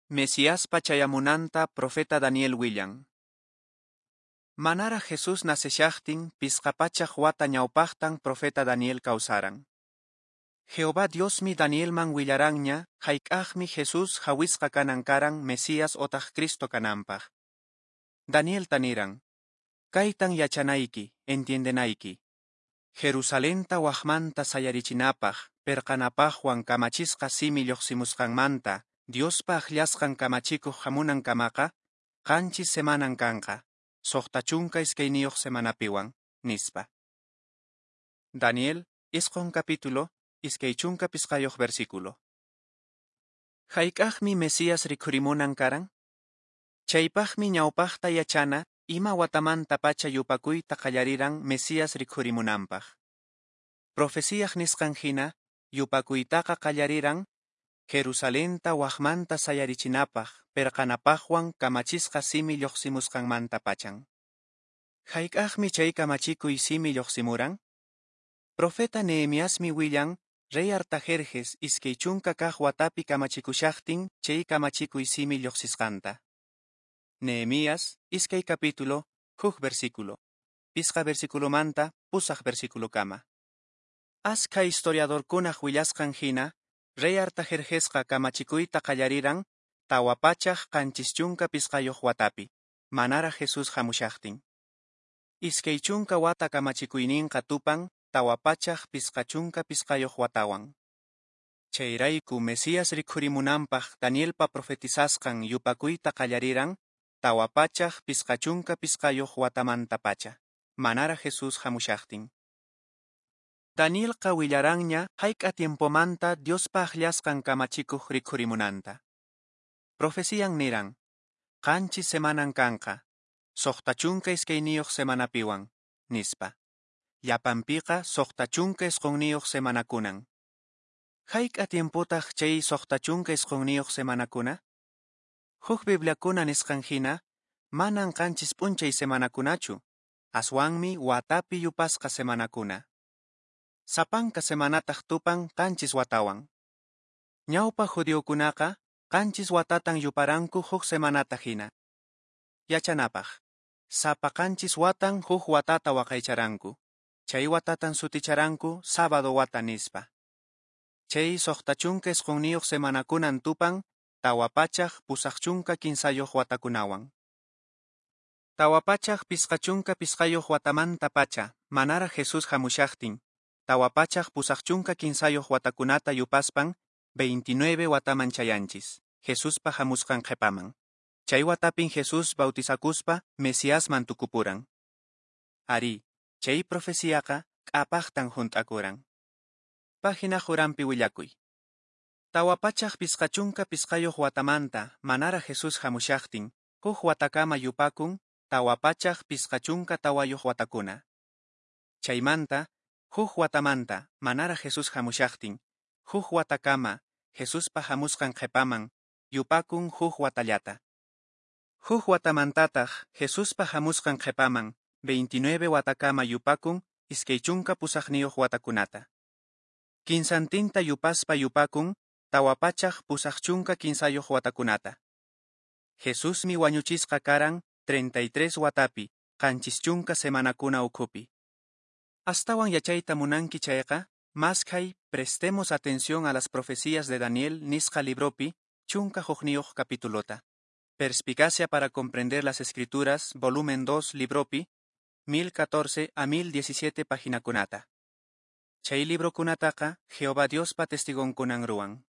Mesiaspa chayamunanta profeta Daniel willan. Manaraq Jesús naceshaqtin 500 wata ñawpaqtan profeta Daniel kawsaran. Jehová Diosmi Danielman willaranña hayk'aqmi Jesús hawisqa kanan karan Mesías otaq Cristo kananpaq. Danielta niran: Kaytan yachanayki, entiendenayki. Jerusalenta waqmanta sayarichinapaq, perqanapaqwan kamachisqa simi lluqsimusqanmanta, Diospa akllasqan kamachikuq hamunankamaqa, 7 semanan kanqa, 62 semanapiwan, nispa. Daniel, 9 capítulo, 25 versículo. Hayk'aqmi Mesías rikhurimunan karan? Chaypaqmi ñawpaqta yachana ima watamanta pacha yupakuyta qallariran Mesías rikhurimunanpaq. Profeciyaq nisqan hina, yupakuytaqa qallariran Jerusalenta waqmanta sayarichinapaq, perqanapaqwan kamachisqa simi lluqsimusqanmanta pachan. Hayk'aqmi chay kamachikuy simi lluqsimuran? Profeta Nehemiasmi willan rey Artajerjes 20 kaq watapi kamachikushaqtin chay kamachikuy simi lluqsisqanta. Nehemías, 2 capítulo, 1 versículo, 5 versículomanta 8 versículokama. Askha historiadorkunaq willasqan hina, rey Artajerjesqa kamachikuyta qallariran 475 watapi, manaraq Jesús hamushaqtin. 20 wata kamachikuyninqa tupan 455 watawan. Chayrayku Mesías rikhurimunanpaq Danielpa profetizasqan yupakuyta qallariran 455 watamanta pacha, manaraq Jesús hamushaqtin. Danielqa willaranña hayk'a tiempomanta Diospa akllasqan kamachikuq rikhurimunanta. Profecian niran: 7 semanan kanqa, 62 semanapiwan, nispa. Llapanpiqa 69 semanakunan. Hayk'a tiempotaq chay 69 semanakuna? Huk Bibliakuna nisqan hina, manan 7 p'unchay semanakunachu, aswanmi watapi yupasqa semanakuna. Sapanka semanataq tupan 7 watawan. Ñawpa judiokunaqa 7 watatan yuparanku huk semanata hina. Yachanapaq, sapa 7 watan huk watata waqaycharanku. Chay watatan suticharanku sábado wata nispa. Chay 69 semanakunan tupan 483 watakunawan. 455 watamanta pacha, manaraq Jesús hamushaqtin, 483 watakunata yupaspan 29 wataman chayanchis, Jesuspa hamusqan qhepaman. Chay watapin Jesús bautizakuspa Mesiasman tukupuran. Ari, chay profeciaqa k'apaqtan hunt'akuran. Página uranpi willakuy. 455 watamanta manaraq Jesús hamushaqtin, huk watakama yupakun 454 watakuna. Chaymanta, huk watamanta manaraq Jesús hamushaqtin, huk watakama Jesuspa hamusqan qhepaman yupakun huk watallata. Huk watamantataq Jesuspa hamusqan qhepaman 29 watakama yupakun 28 watakunata. Kinsantinta yupaspa yupakun 483 watakunata. Jesusmi wañuchisqa karan 33 watapi, 70 semanakuna ukhupi. Astawan yachayta munanki chayqa, maskhay Prestemos atención a las profecías de Daniel nisqa libropi, 11 capítulota. Perspicacia para comprender las escrituras, volumen 2 libropi, 1014 a 1017 paginakunata. Chay librokunataqa Jehová Diospa testigonkunan ruwan.